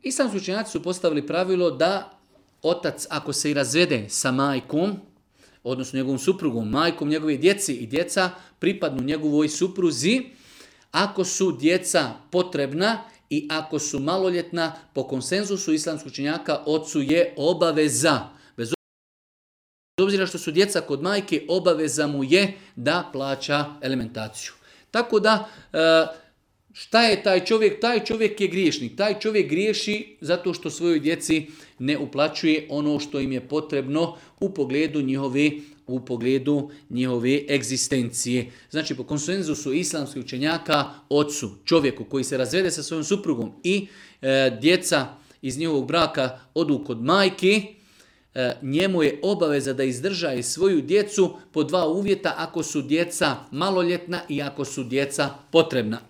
Islamski učenjaci su postavili pravilo da otac, ako se i razvede sa majkom, odnosno njegovom suprugom, majkom njegove djeci i djeca pripadnu njegovoj supruzi, ako su djeca potrebna i ako su maloljetna, po konsenzusu islamskih učenjaka, ocu je obaveza. Bez obzira što su djeca kod majke, obaveza mu je da plaća alimentaciju. Tako da, šta je taj čovjek? Taj čovjek je griješnik. Taj čovjek griješi zato što svojoj djeci ne uplaćuje ono što im je potrebno u pogledu njihove egzistencije. Znači, po konsenzusu islamskih učenjaka, ocu, čovjeku koji se razvede sa svojom suprugom i djeca iz njihovog braka odu kod majke, njemu je obaveza da izdržaje svoju djecu po dva uvjeta: ako su djeca maloljetna i ako su djeca potrebna.